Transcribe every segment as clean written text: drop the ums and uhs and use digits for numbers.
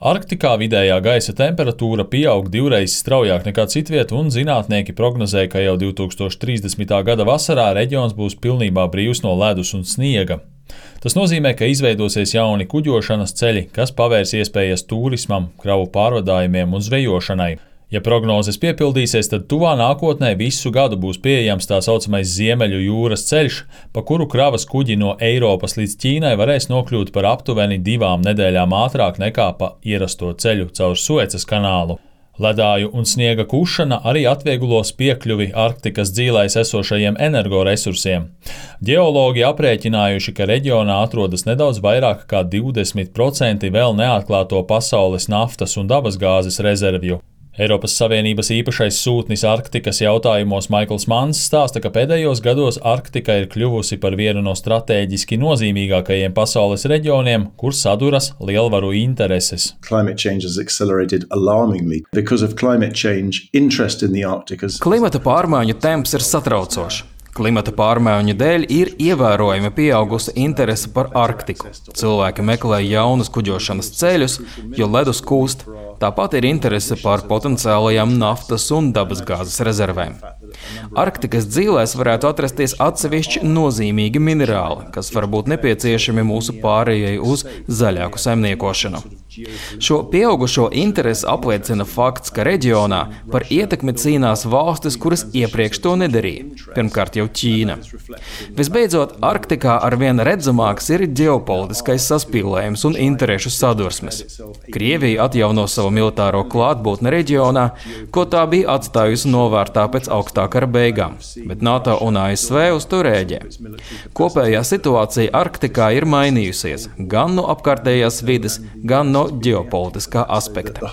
Arktikā vidējā gaisa temperatūra pieaug 2 straujāk nekā citviet, un zinātnieki prognozē, ka jau 2030. gada vasarā reģions būs pilnībā brīvs no ledus un sniega. Tas nozīmē, ka izveidosies jauni kuģošanas ceļi, kas pavērs iespējas turismam, kravu pārvadājumiem un zvejošanai. Ja prognozes piepildīsies, tad tuvā nākotnē visu gadu būs pieejams tā saucamais Ziemeļu jūras ceļš, pa kuru kravas kuģi no Eiropas līdz Ķīnai varēs nokļūt par aptuveni 2 nedēļām ātrāk nekā pa ierasto ceļu caur Suecas kanālu. Ledāju un sniega kušana arī atvieglos piekļuvi Arktikas dzīlēs esošajiem energoresursiem. Ģeologi aprēķinājuši, ka reģionā atrodas nedaudz vairāk kā 20% vēl neatklāto pasaules naftas un dabasgāzes rezervju. Eiropas Savienības īpašais sūtnis Arktikas jautājumos Maikls Manns stāsta, ka pēdējos gados Arktika ir kļuvusi par vienu no stratēģiski nozīmīgākajiem pasaules reģioniem, kur saduras lielvaru intereses. Klimata pārmaiņu temps ir satraucošs. Klimata pārmaiņu dēļ ir ievērojami pieaugusi interese par Arktiku. Cilvēki meklē jaunus kuģošanas ceļus, jo ledus kūst. Tāpat ir interese par potenciālajām naftas un dabasgāzes rezervēm. Arktikas dzīlēs varētu atrasties atsevišķi nozīmīgi minerāli, kas var būt nepieciešami mūsu pārējai uz zaļāku saimniekošanu. Šo pieaugušo interesi apliecina fakts, ka reģionā par ietekmi cīnās valstis, kuras iepriekš to nedarīja. Pirmkārt jau Ķīna. Visbeidzot, Arktikā arvien redzamāks ir ģeopolitiskais saspīlējums un interešu sadursmes. Krievija atjauno savu militāro klātbūtni reģionā, ko tā bija atstājusi novārtā pēc augstā kara beigām, bet NATO un ASV uz to rēģē. Kopējā situācija Arktikā ir mainījusies gan no apkārtējās vides, gan no ģeopolitiskā aspekta.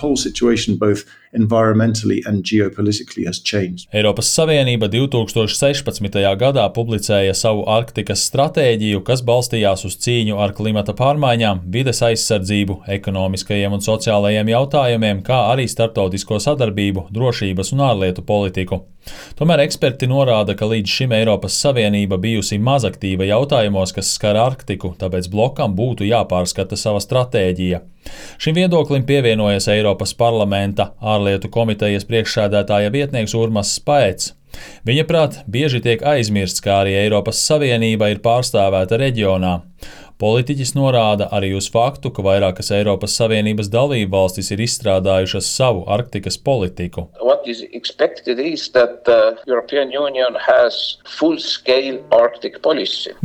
Eiropas Savienība 2016. gadā publicēja savu Arktikas stratēģiju, kas balstījās uz cīņu ar klimata pārmaiņām, vides aizsardzību, ekonomiskajiem un sociālajiem jautājumiem, kā arī starptautisko sadarbību, drošības un ārlietu politiku. Tomēr eksperti norāda, ka līdz šim Eiropas Savienība bijusi mazaktīva jautājumos, kas skar Arktiku, tāpēc blokam būtu jāpārskata sava stratēģija. Šim viedoklim pievienojas Eiropas parlamenta ārlietu komitejas priekšsēdētāja vietnieks Urmas Spaets. Viņa prāt, bieži tiek aizmirsts, kā arī Eiropas Savienība ir pārstāvēta reģionā. Politiķis norāda arī uz faktu, ka vairākas Eiropas Savienības dalību valstis ir izstrādājušas savu Arktikas politiku.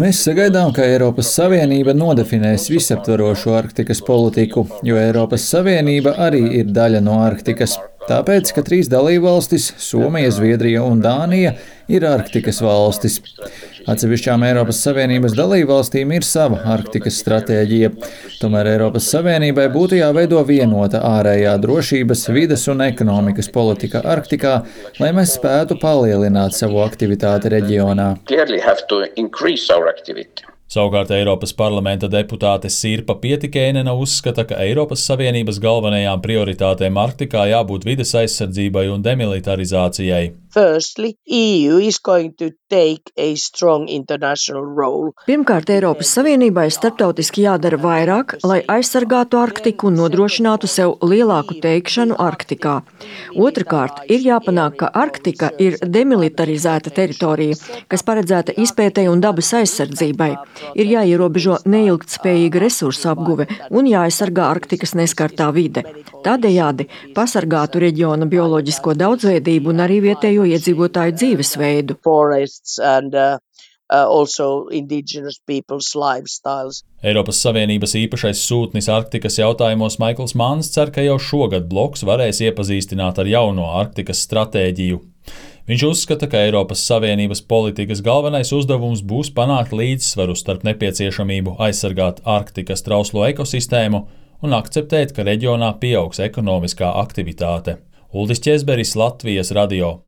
Mēs sagaidām, ka Eiropas Savienība nodefinēs visaptvarošu Arktikas politiku, jo Eiropas Savienība arī ir daļa no Arktikas. Tāpēc, ka 3 dalībvalstis – Somija, Zviedrija un Dānija – ir Arktikas valstis. Atsevišķām Eiropas Savienības dalībvalstīm ir sava Arktikas stratēģija. Tomēr Eiropas Savienībai būtu jāveido vienota ārējā drošības, vides un ekonomikas politika Arktikā, lai mēs spētu palielināt savu aktivitāti reģionā. Savukārt Eiropas parlamenta deputāte Sirpa Pietikainena uzskata, ka Eiropas Savienības galvenajām prioritātēm Arktikā jābūt vides aizsardzībai un demilitarizācijai. Pirmkārt, Eiropas Savienībai starptautiski jādara vairāk, lai aizsargātu Arktiku un nodrošinātu sev lielāku teikšanu Arktikā. Otrakārt, ir jāpanāk, ka Arktika ir demilitarizēta teritorija, kas paredzēta izpētei un dabas aizsardzībai. Ir jāierobežo neilgtspējīga resursu apguve un jāaizsargā Arktikas neskartā vide. Tādējādi pasargātu reģiona bioloģisko daudzveidību un arī vietējo iedzīvotāju dzīvesveidu. Eiropas Savienības īpašais sūtnis Arktikas jautājumos Maikls Manns cer, ka jau šogad bloks varēs iepazīstināt ar jauno Arktikas stratēģiju. Viņš uzskata, ka Eiropas Savienības politikas galvenais uzdevums būs panākt līdzsvaru starp nepieciešamību aizsargāt Arktikas trauslo ekosistēmu un akceptēt, ka reģionā pieaugs ekonomiskā aktivitāte. Uldis Ķezberis, Latvijas radio.